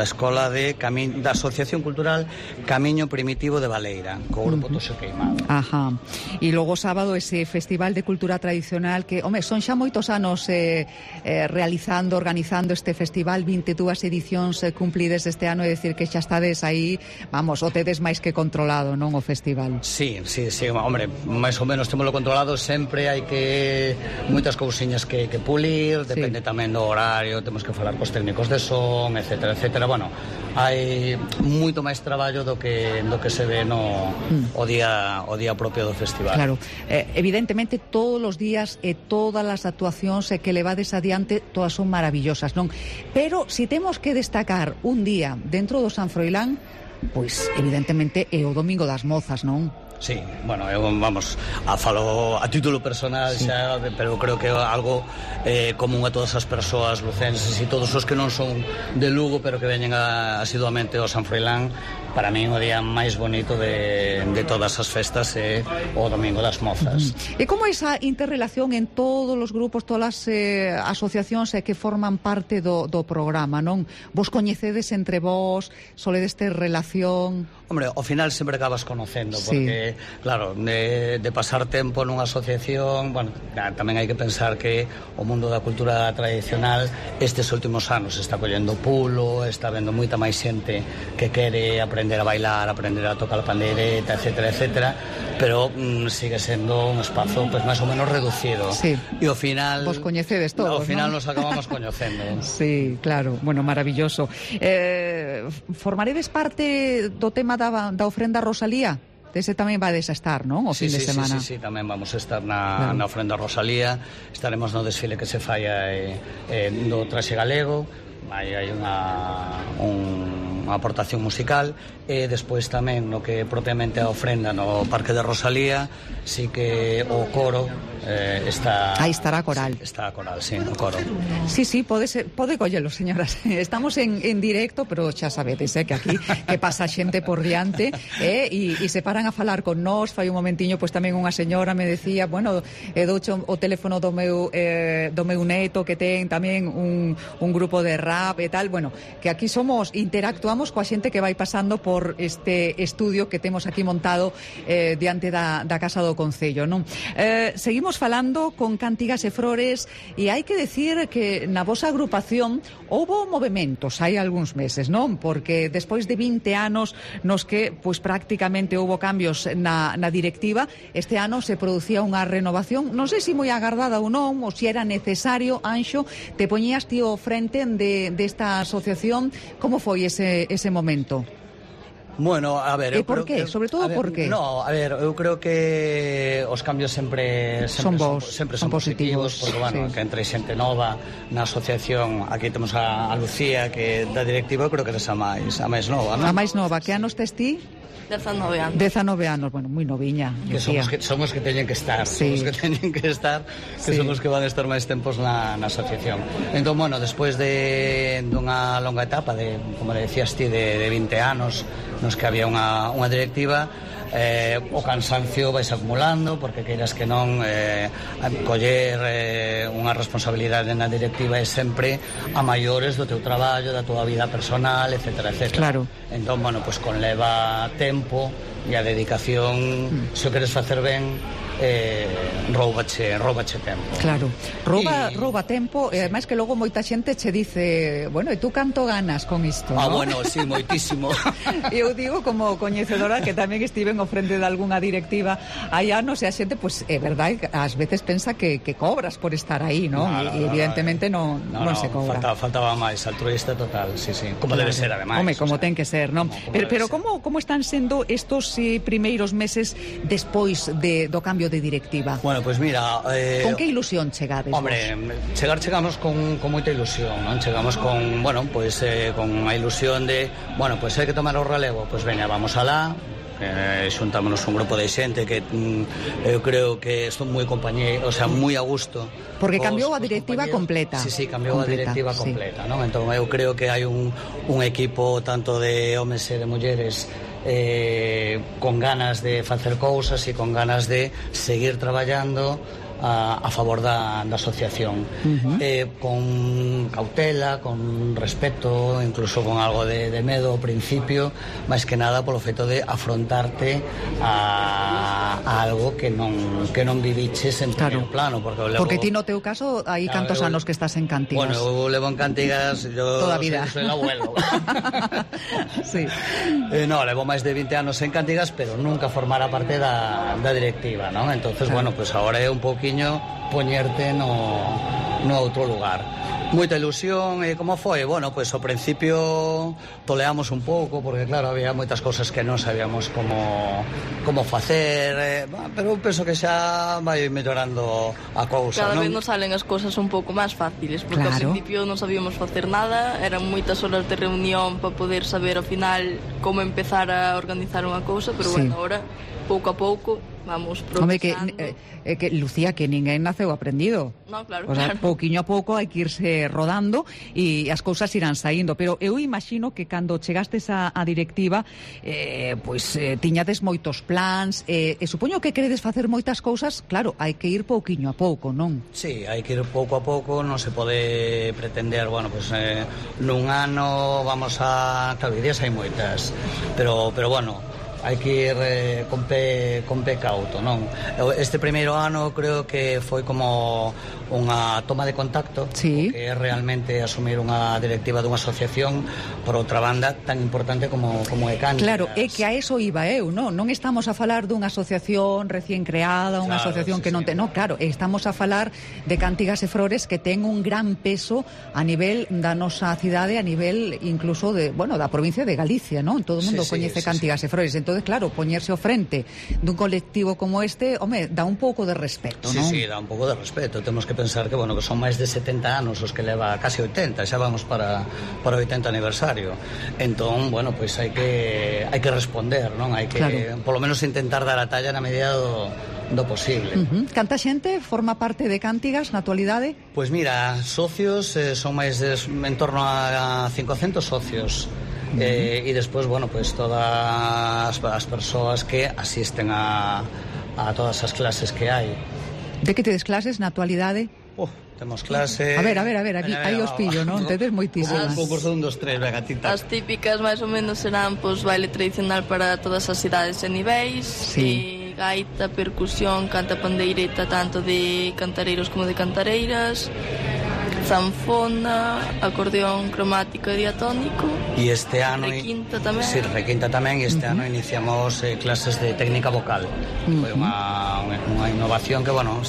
escola da Asociación Cultural Camiño Primitivo de Baleira, co grupo Toxo Queimado. Ajá. E logo sábado ese Festival de Cultura Tradicional que, son xa moitos anos realizando, organizando este festival, 22 edicións cumplides este ano, é dicir que xa estades aí, vamos, o tedes máis que controlado, non, o festival? Sí, hombre, máis ou menos temoslo controlado, sempre hai que moitas cousiñas que pulir, depende tamén do horario, temos que falar cos técnicos de son, etcétera. Bueno, hai moito máis traballo do que se ve o día propio do festival. Claro, evidentemente todos os días e todas as actuacións que levades adiante todas son maravillosas, non? Pero se temos que destacar un día dentro do San Froilán, pois evidentemente é o Domingo das Mozas, non? Sí, bueno, eu falo a título personal xa, pero creo que é algo común a todas as persoas lucenses e todos os que non son de Lugo pero que veñen asiduamente ao San Froilán. Para mí o día máis bonito de todas as festas é o Domingo das Mozas. E como esa interrelación en todos os grupos, todas as asociacións que forman parte do programa, non? Vos coñecedes entre vos, soledes ter relación? Hombre, ao final sempre acabas conocendo, porque, claro, de pasar tempo nunha asociación, bueno, tamén hai que pensar que o mundo da cultura tradicional estes últimos anos está collendo pulo, está vendo moita máis xente que quere aprender a bailar, aprender a tocar a pandeireta, etcétera, pero sigue sendo un espazo pues máis ou menos reducido. Sí. E ao final... Vos coñecedes todos, ao final ¿no? Nos acabamos coñecendo. Sí, claro, bueno, maravilloso. Formaredes parte do tema da ofrenda Rosalía? Ese tamén vades a estar, non? O fin de semana. Sí, tamén vamos a estar na ofrenda Rosalía. Estaremos no desfile que se falla do traxe galego. Hai unha aportación musical e despois tamén no que propiamente a ofrenda no Parque de Rosalía, sí que o coro está... Aí estará a coral. Sí, está a coral, sí, o coro. Sí, pode collelo, señoras. Estamos en directo, pero xa sabedes, que aquí que pasa xente por diante e se paran a falar con nós. Fai un momentiño, pois tamén unha señora me decía, bueno, douche o teléfono do meu neto que ten tamén un grupo de rap e tal, bueno, que aquí interactuamos coa xente que vai pasando por este estudio que temos aquí montado diante da Casa do Concello, non? Seguimos falando con Cantigas e Flores e hai que decir que na vosa agrupación houbo movementos hai algúns meses, non? Porque despois de 20 anos nos que pois prácticamente houbo cambios na directiva, este ano se producía unha renovación, non sei se moi agardada ou non, ou se era necesario. Anxo, te poñías ti ao frente desta asociación, como foi ese momento? Bueno, a ver... E por qué? Sobre todo por qué? No, a ver, eu creo que os cambios sempre son positivos, porque, bueno, que entre xente nova na asociación, aquí temos a Lucía, que da directiva, creo que é a máis nova, non? A máis nova, que anos tes ti? 19 anos. 19 anos, bueno, moi noviña. Que somos que teñen que estar, sí. Somos que teñen que estar, que sí. Somos que van a estar máis tempos na asociación. Entón, bueno, despois dunha longa etapa de, como decías ti, de 20 anos, nos que había unha directiva, o cansancio vais acumulando, porque queiras que non coller unha responsabilidade na directiva é sempre a maiores do teu traballo, da tua vida personal, etcétera. Claro. Entón, bueno, pues conleva tempo e a dedicación, se o queres facer ben, roubache tempo. Claro, rouba tempo e ademais que logo moita xente che dice, bueno, e tú canto ganas con isto, ¿no? Bueno, sí, moitísimo. Eu digo como coñecedora que tamén estiven ao frente de algunha directiva hai anos e a xente, pois é verdade, ás veces pensa que cobras por estar aí, ¿no? E evidentemente non se cobra. Faltaba máis, altruista total, sí. Como debe ser, ademais. Home, como ten que ser, ¿no? Pero como están sendo estos primeiros meses despois do cambio de directiva? Bueno, pues mira... Con que ilusión chegades? Hombre, chegamos con moita ilusión, non? Chegamos con, bueno, pues con a ilusión de, bueno, pues hai que tomar o relevo, pues veña, vamos alá, xuntámonos un grupo de xente que eu creo que estou moi compañeiro, o sea, moi a gusto. Porque cambiou a directiva completa. Sí, cambiou a directiva completa, non? Entón eu creo que hai un equipo tanto de homes e de mulleres con ganas de facer cousas e con ganas de seguir traballando a favor da asociación, con cautela, con respeto, incluso con algo de medo ao principio, máis que nada polo feito de afrontarte a algo que non viviches en primeiro plano, porque ti no teu caso hai cantos anos que estás en Cantigas. Bueno, eu levo en Cantigas, toda a vida. Soy el abuelo. Sí. No, levo máis de 20 anos en Cantigas, pero nunca formara parte da directiva, ¿no? Entonces, bueno, pues ahora é un pouquiño poñerte no outro lugar. Moita ilusión. Como foi? Bueno, pois ao principio toleamos un pouco, porque claro, había moitas cousas que non sabíamos como facer, pero eu penso que xa vai mellorando a cousa. Cada vez nos salen as cousas un pouco máis fáciles, porque ao principio non sabíamos facer nada, eran moitas horas de reunión para poder saber ao final como empezar a organizar unha cousa, pero bueno, ahora pouco a pouco vamos progresando. Home, que Lucía, que ninguén naceu aprendido. No, claro, o sea, claro. Pouquiño a pouco hai que irse rodando e as cousas irán saindo, pero eu imagino que cando chegastes a directiva tiñades moitos plans, e supoño que queredes facer moitas cousas, claro, hai que ir pouquiño a pouco, non? Sí, hai que ir pouco a pouco, non se pode pretender, bueno, pues nun ano vamos a... Claro, ideas hai moitas, pero bueno, hai que ir con pé cauto, non? Este primeiro ano creo que foi como unha toma de contacto, sí, que é realmente asumir unha directiva dunha asociación, por outra banda, tan importante como é Cantigas. Claro, é que a eso iba eu, non estamos a falar dunha asociación recién creada, unha asociación que non ten, non, claro, estamos a falar de Cantigas e Frores, que ten un gran peso a nivel da nosa cidade, a nivel incluso da provincia de Galicia, non? Todo o mundo coñece Cantigas e Frores, entonces claro, poñerse ao frente dun colectivo como este, home, dá un pouco de respeto, non? Sí, dá un pouco de respeto. Temos que pensar que, bueno, que son máis de 70 anos os que leva, casi 80, xa vamos para o 80 aniversario. Entón, bueno, pois hai que responder, non? Hai que, polo menos, intentar dar a talla na medida do posible. Canta xente forma parte de Cantigas na actualidade? Pois mira, socios son máis en torno a 500 socios. E despois, bueno, pues todas as persoas que asisten a todas as clases que hai. De que tedes clases na actualidade? Temos clase... A ver, aí os pillo, non? Tedes moitísimas. Un concurso de 1, 2, 3, venga, tinta. As típicas máis ou menos serán baile tradicional para todas as idades e niveis, e gaita, percusión, canta pandeireta, tanto de cantareiros como de cantareiras, zanfona, acordeón cromático e diatónico. E este ano... Requinta tamén. Sí, requinta tamén, e este ano iniciamos clases de técnica vocal. Foi unha innovación que, bueno,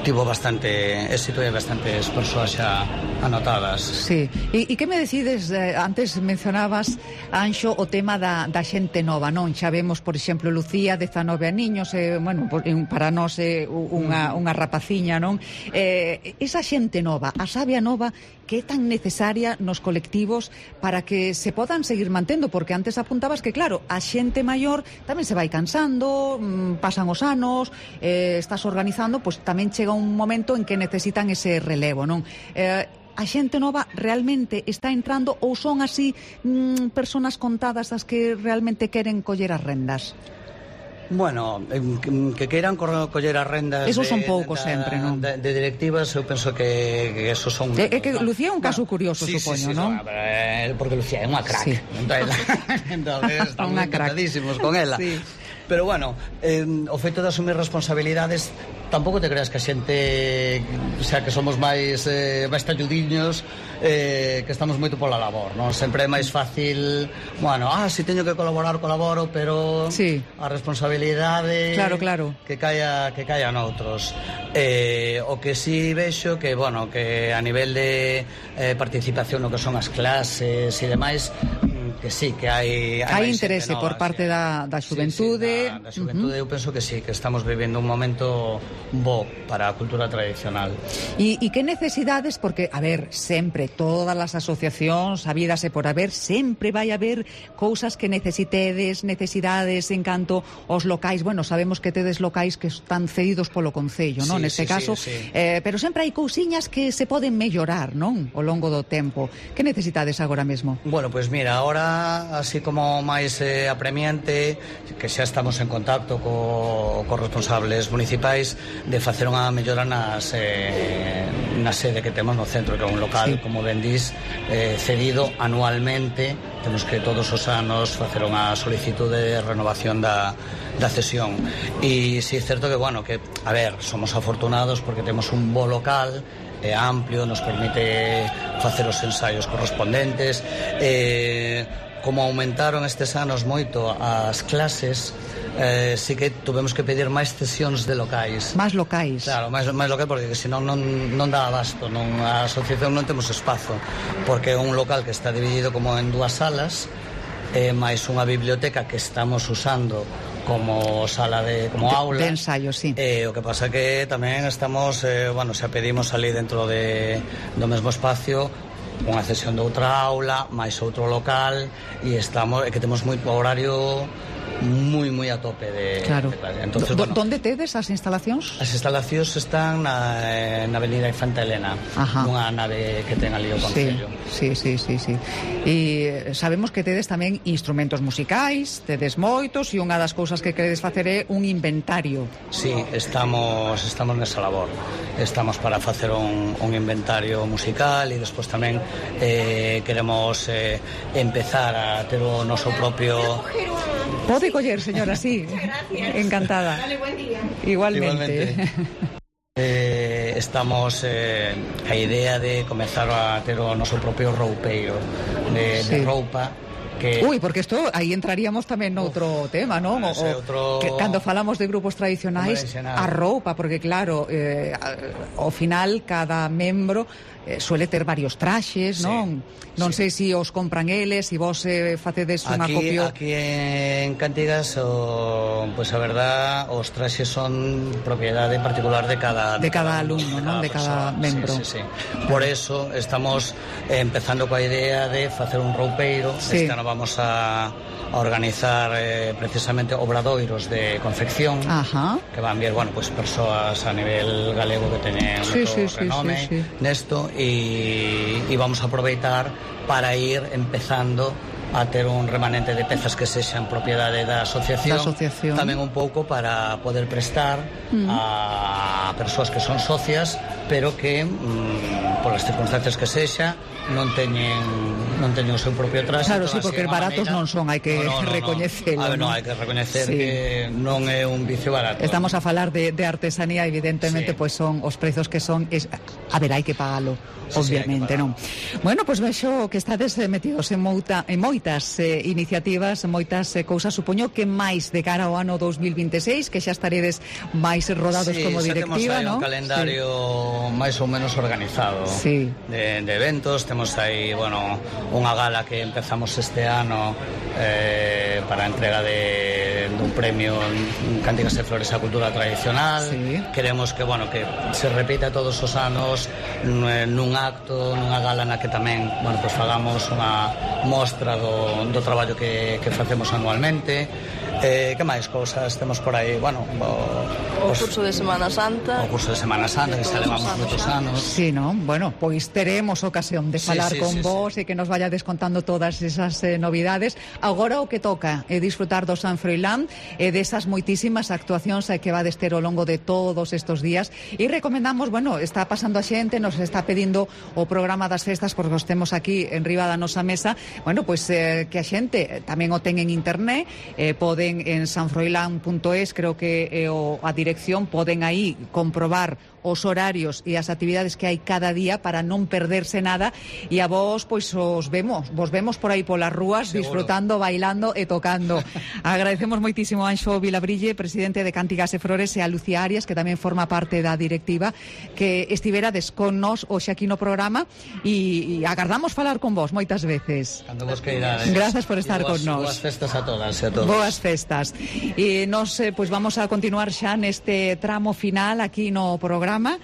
tivo bastante éxito e bastantes persoas xa anotadas. Sí, e que me decides, antes mencionabas, Anxo, o tema da xente nova, non? Xa vemos, por exemplo, Lucía, 19 aniños, bueno, para nós é unha rapaciña, non? Esa xente nova, a sabia nova, que é tan necesaria nos colectivos para que se podan seguir mantendo, porque antes apuntabas que, claro, a xente maior tamén se vai cansando, pasan os anos, estás organizando, pois tamén chega un momento en que necesitan ese relevo, non? A xente nova realmente está entrando ou son así personas contadas as que realmente queren coller as rendas? Bueno, que queiran coller as rendas... Esos son poucos sempre, non? De directivas, eu penso que esos son... É que Lucía é un caso curioso, supoño, non? Porque Lucía é unha crack. Entón, estamos encantadísimos con ela. Pero bueno, o feito de asumir responsabilidades, tampouco te creas que a xente, o sea, que somos máis talludiños, que estamos moito pola labor, non? Sempre é máis fácil, bueno, se teño que colaborar, colaboro, pero a responsabilidade claro. que caia noutros. O que si vexo que, bueno, que a nivel de participación no que son as clases e demais, que sí, que hai interese por parte da xuventude. Da xuventude, eu penso que sí, que estamos vivendo un momento bo para a cultura tradicional. E que necesidades, porque, a ver, sempre, todas as asociacións, habidas e por haber, sempre vai haber cousas que necesidades en canto aos locais. Bueno, sabemos que tedes locais que están cedidos polo Concello, non? Neste caso, pero sempre hai cousiñas que se poden mellorar, non? Ao longo do tempo. Que necesitades agora mesmo? Bueno, pois mira, agora idea así como máis apremiante, que xa estamos en contacto cos responsables municipais, de facer unha mellora na sede que temos no centro, que é un local, como ben dís, cedido anualmente. Temos que todos os anos facer unha solicitude de renovación da cesión. E si é certo que, bueno, que, a ver, somos afortunados porque temos un bo local, é amplio, nos permite facer os ensaios correspondentes. Como aumentaron estes anos moito as clases, sí que tuvemos que pedir máis cesións de locais. Máis locais. Claro, máis locais, porque senón non dá abasto, a asociación non temos espazo, porque é un local que está dividido como en dúas salas, máis unha biblioteca que estamos usando como sala como aula de ensayo, sí. O que pasa que tamén estamos, xa pedimos ali dentro do mesmo espacio unha cesión de outra aula, máis outro local, e que temos moi horario moi a tope de claro. Entonces, ¿Dónde tedes as instalacións? As instalacións están na avenida Infanta Elena, nunha nave que ten ali o Concello. Sí. E sabemos que tedes tamén instrumentos musicais, tedes moitos, e unha das cousas que queredes facer é un inventario. Sí, estamos nesa labor. Estamos para facer un inventario musical, e despois tamén queremos empezar a ter o noso propio... Pode coller, señora, sí. Encantada. Dale, buen día. Igualmente. Estamos a idea de comezar a ter o noso propio roupeiro de roupa. Porque isto aí entraríamos tamén noutro tema, non? Cando falamos de grupos tradicionais, a roupa, porque claro, ao final cada membro suele ter varios traxes, non? Non sei se os compran eles, se vos facedes un acopio. Aquí en Cantigas, pois a verdad, os traxes son propiedade particular de cada alumno, non? De cada membro. Sí. Por eso estamos empezando coa idea de facer un roupeiro. Este ano vamos a organizar precisamente obradoiros de confección, que van vir, pues persoas a nivel galego que teñen renome nesto, e vamos a aproveitar para ir empezando a ter un remanente de pezas que sexan propiedade da asociación, tamén un pouco para poder prestar a persoas que son socias, pero que polas circunstancias que sexa non teñen o seu propio traxe. Claro, sí, porque baratos non son, hai que recoñecelo. Hai que recoñecer que non é un vicio barato. Estamos a falar de artesanía, evidentemente, pois son os prezos que son, a ver, hai que pagalo, obviamente, non? Bueno, pois vexo que estades metidos en moitas iniciativas, moitas cousas, supoño que máis de cara ao ano 2026, que xa estaredes máis rodados como directiva, non? Temos aí un calendario máis ou menos organizado de eventos. Temos aí, unha gala que empezamos este ano para a entrega dun premio en Cánticas e Flores a Cultura Tradicional. Queremos que se repita todos os anos nun acto, nunha gala na que tamén fagamos unha mostra do traballo que facemos anualmente. Que máis cousas temos por aí? O curso de Semana Santa. O curso de Semana Santa, que xa levamos moitos anos. Sí, non? Bueno, pois teremos ocasión de falar con vos e que nos vaya descontando todas esas novidades. Agora o que toca é disfrutar do San Froilán e desas moitísimas actuacións que vades ter ao longo de todos estes días. E recomendamos, está pasando a xente, nos está pedindo o programa das festas, porque os temos aquí en riba da nosa mesa. Que a xente tamén o ten en internet, poden en sanfroilán.es, creo que a dirección, poden aí comprobar os horarios e as actividades que hai cada día para non perderse nada, e a vos vos vemos por aí polas rúas, disfrutando, bailando e tocando. Agradecemos moitísimo a Anxo Vilabrille, presidente de Cánticas e Flores, e a Lucía Arias, que tamén forma parte da directiva, que estiverades con nós hoxe aquí no programa, e agardamos falar con vos moitas veces. Cando vos queirades. Gracias por estar con nós. Boas festas a todas e a todos. Boas festas. E nos vamos a continuar xa neste tramo final aquí no programa. programa.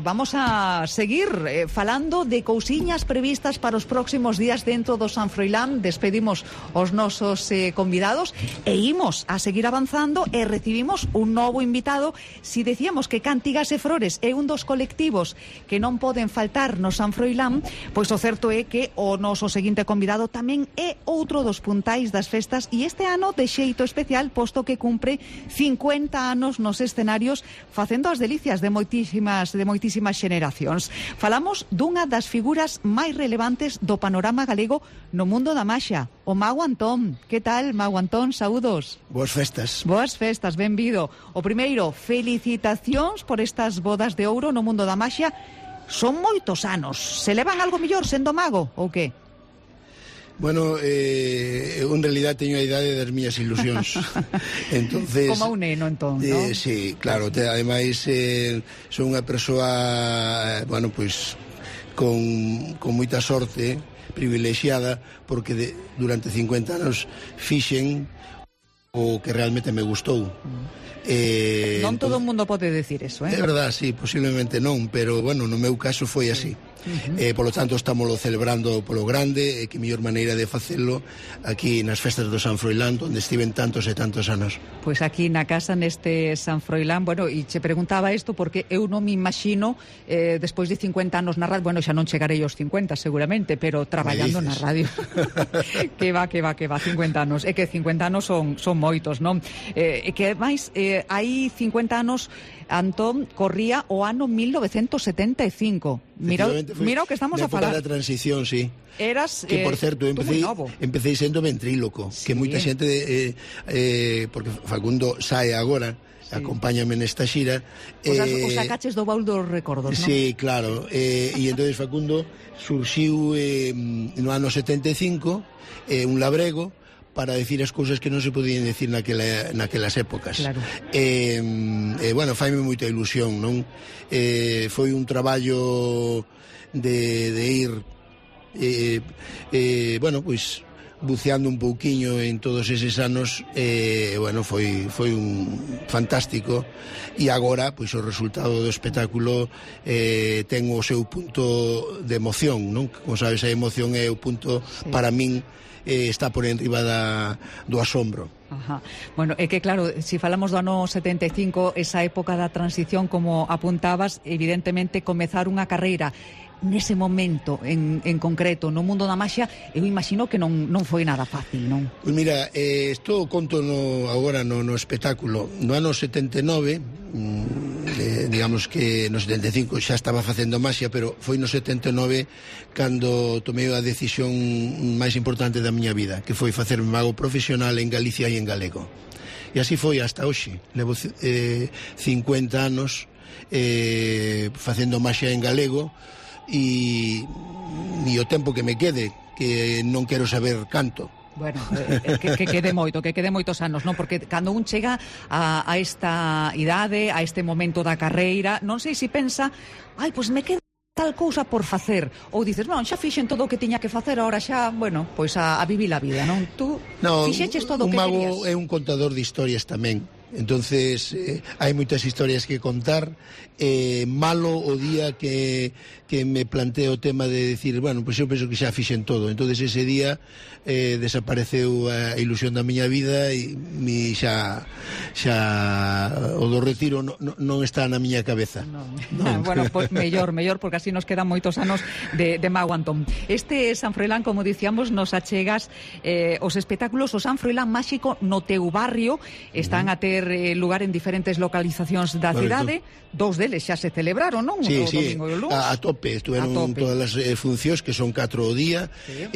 Vamos a seguir falando de cousiñas previstas para os próximos días dentro do San Froilán. Despedimos os nosos convidados e imos a seguir avanzando e recibimos un novo invitado. Si decíamos que Cantigas e Frores é un dos colectivos que non poden faltar no San Froilán, pois o certo é que o noso seguinte convidado tamén é outro dos puntais das festas, e este ano de xeito especial, posto que cumpre 50 anos nos escenarios, facendo as delicias de moitísimas xeneracións. Falamos dunha das figuras máis relevantes do panorama galego no mundo da maxia, o Mago Antón. Que tal, Mago Antón? Saúdos. Boas festas. Boas festas, benvido. O primeiro, felicitacións por estas bodas de ouro no mundo da maxia. Son moitos anos. Se levan algo mellor sendo mago, ou que? Bueno, eu en realidad teño a idade das miñas ilusións. Entonces, como un neno, entón, ¿no? Sí, claro. Ademais, son unha persoa, bueno, pois, con moita sorte, privilexiada, porque durante 50 anos fixen o que realmente me gustou. Non todo o mundo pode decir eso, É verdad, sí, posiblemente non, pero, bueno, no meu caso foi así. Polo tanto, estámoslo celebrando polo grande, e que mellor maneira de facelo aquí nas festas do San Froilán, onde estiven tantos e tantos anos. Pois aquí na casa, neste San Froilán, bueno, e che preguntaba isto porque eu non me imagino, despois de 50 anos na radio, bueno, xa non chegarei aos 50 seguramente, pero traballando na radio. que va, 50 anos. É que 50 anos son moitos, non? E que máis, hai 50 anos, Antón, corría o ano 1975. Mira o que estamos a falar. Na época da transición, sí. Eras, que, por certo, empecé sendo ventríloco, sí. Que moita xente, porque Facundo sae agora, sí. Acompáñame nesta xira. Os sacaches do baúl dos recordos, non? Sí, claro. E entonces Facundo surxiu no ano 75, un labrego, para decir as cousas que non se podían decir naquelas épocas. Claro. Bueno, faime moita ilusión, non? Foi un traballo de ir bueno, pois buceando un pouquiño en todos eses anos. Bueno, foi un fantástico, e agora, pois, o resultado do espectáculo ten o seu punto de emoción, non? Como sabes, a emoción é o punto, sí. Para min, está por enriba do asombro. Ajá. Bueno, é que claro, se falamos do ano 75, esa época da transición, como apuntabas, evidentemente comezar unha carreira nese momento en concreto no mundo da maxia, eu imagino que non foi nada fácil, non? Pois mira, isto conto agora no espectáculo. No ano 79, digamos que no 75 xa estaba facendo maxia, pero foi no 79 cando tomei a decisión máis importante da miña vida, que foi facerme mago profesional en Galicia e en galego. E así foi hasta hoxe. Levo 50 anos facendo maxia en galego, e o tempo que me quede, que non quero saber canto. Bueno, que quede moitos anos, non? Porque cando un chega a esta idade, a este momento da carreira, non sei se pensa, pois me queda tal cousa por facer, ou dices, non, xa fixen todo o que tiña que facer, agora xa, bueno, pois a vivir a vida, non? Tú fixeches todo o que querías. Un mago é un contador de historias tamén. Entonces, hai moitas historias que contar. Malo o día que me planteo o tema de decir, bueno, pois eu penso que xa fixen todo. Entonces ese día desapareceu a ilusión da miña vida, e xa o do retiro non está na miña cabeza. Non. Bueno, pois mellor, porque así nos quedan moitos anos de Mago Antón. Este San Froilán, como dicíamos, nos achegas os espectáculos, o San Froilán máxico no teu barrio, están a ter lugar en diferentes localizacións da cidade. Dous deles xa se celebraron, non? Sí, o domingo e o luns. A tope, estuveron todas as funcións, que son 4 o día. Sí.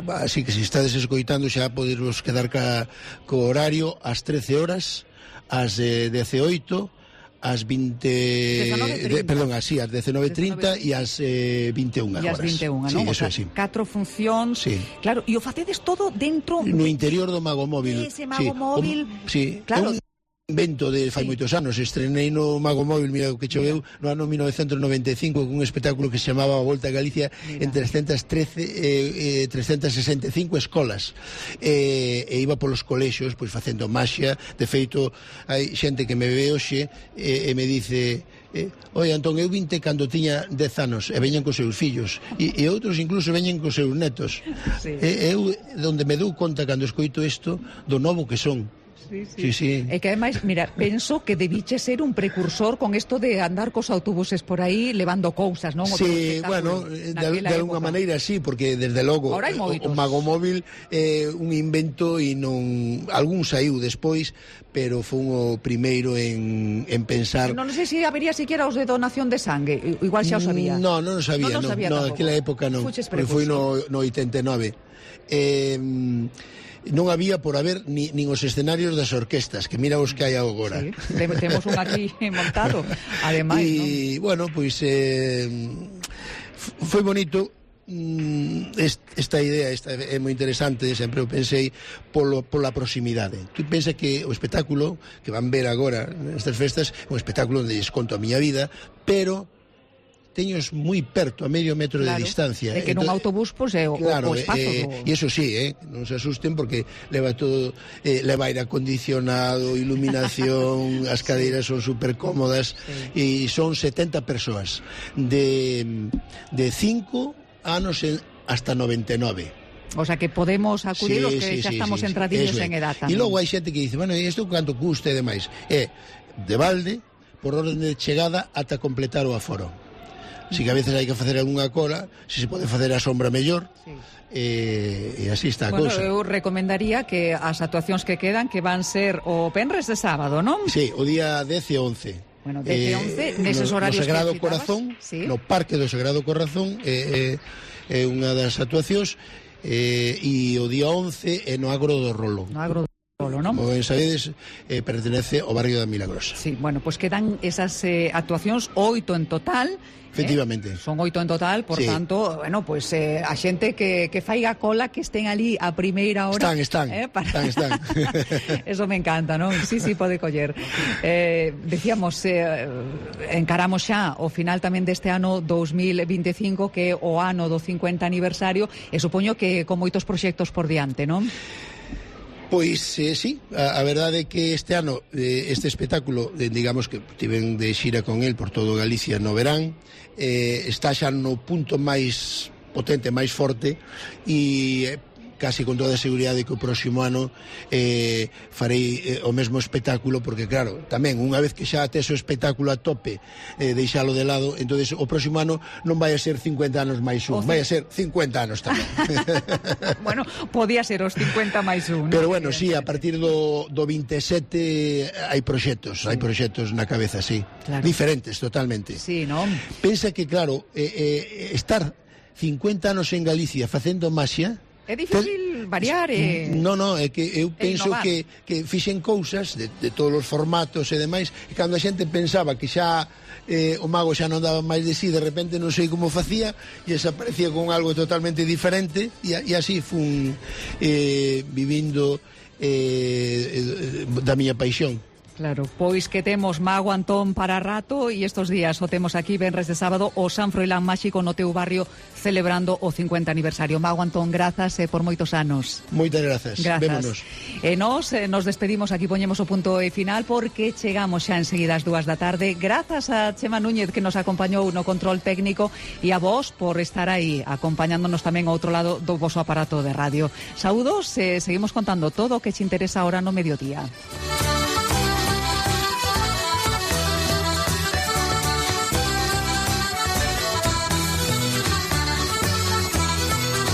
Así que se estades escoitando xa poderos quedar co horario ás 13 horas, ás 18, ás 20... Perdón, así, ás 19:30 e ás 21 horas. E ás 21, sí, non? Eso, sí. 4 funcións. Sí. Claro, e o facedes todo dentro... No interior do Mago Móvil. Ese Mago Móvil. Sí. Claro. invento de fai moitos anos. Estrenei no Mago Móvil, mira o que choveu, no ano 1995 con un espectáculo que se chamaba A Volta a Galicia en 365 escolas, e iba polos colexios pois facendo maxia. De feito, hai xente que me ve hoxe e me dice: oi, Antón, eu vinte cando tiña 10 anos e veñen cos seus fillos, e outros incluso veñen cos seus netos. Eu, onde me dou conta cando escoito isto, do novo que son. Sí. É que ademais, mira, penso que debiche ser un precursor con isto de andar cos autobuses por aí levando cousas, non? Sí, bueno, de alguna maneira sí, porque desde logo o Mago Móvil é un invento e non algún saiu despois, pero foi o primeiro en pensar. Non sei se habería siquiera os de donación de sangue, igual xa os sabía. Non o sabía, non, naquela época non, porque foi no 89. Non había por haber nin os escenarios das orquestas, que mira os que hai agora. Sí, temos un aquí montado, ademais, e, bueno, pois foi bonito. Esta idea é moi interesante, sempre o pensei pola proximidade. Tu pensa que o espectáculo que van ver agora nestas festas é un espectáculo onde lles conto a miña vida, pero teños moi perto, a medio metro de distancia. É que nun autobús, pois, é o espazo. E iso sí, non se asusten, porque leva todo, leva aire acondicionado, iluminación, as cadeiras son super cómodas, e son 70 persoas de 5 anos hasta 99. O sea que podemos acudir os que xa estamos entradillos en edad tamén. E logo hai xente que dice, bueno, e isto canto custa e demais? É de balde, por orden de chegada, ata completar o aforo. Si que a veces hai que facer algunha cola, se pode facer a sombra mellor, e así está a cousa. Eu recomendaría que as actuacións que quedan, que van ser o venres de sábado, non? Sí, o día 10 e 11. Bueno, 10 e 11, neses horarios no Sagrado Corazón, no Parque do Sagrado Corazón, é unha das actuacións, e o día 11 é no Agro do Rolo. No Agro do Rolo, non? Como ben sabedes, pertenece ao barrio da Milagrosa. Sí, bueno, pois quedan esas actuacións 8 en total. Efectivamente. Son 8 en total, por tanto, bueno, pues a xente que faiga cola, que estén ali a primeira hora. Están. Eso me encanta, non? Sí, pode coller. Decíamos, encaramos xa o final tamén deste ano 2025, que é o ano do 50 aniversario, e supoño que con moitos proxectos por diante, non? Pois sí, a verdade é que este ano este espectáculo, digamos que tiven de xira con el por todo Galicia no verán, está xa no punto máis potente, máis forte, e casi con toda a seguridade que o próximo ano farei o mesmo espectáculo, porque claro, tamén unha vez que xa tes o espectáculo a tope, deixalo de lado, entonces o próximo ano non vai a ser 50 anos máis un, vai a ser 50 anos tamén. Bueno, podía ser os 50 máis un. Pero bueno, sí, a partir do 27 hai proxectos na cabeza, sí, claro. Diferentes totalmente. Sí, non? Pensa que claro, estar 50 anos en Galicia facendo maxia é difícil variar Non, é que eu penso que fixen cousas de todos os formatos e demais, e cando a xente pensaba que xa o mago xa non daba máis de sí, de repente non sei como facía, e desaparecía con algo totalmente diferente, e así fun vivindo da miña paixón. Claro, pois que temos Mago Antón para rato, e estos días o temos aquí, venres de sábado, o San Froilán Máxico no teu barrio, celebrando o 50 aniversario. Mago Antón, grazas por moitos anos. Moitas grazas. Vémonos. E nos despedimos, aquí poñemos o punto e final, porque chegamos xa enseguida ás 2 da tarde. Grazas a Chema Núñez, que nos acompañou no control técnico, e a vos por estar aí, acompañándonos tamén ao outro lado do voso aparato de radio. Saúdos, seguimos contando todo o que che interesa ahora no mediodía.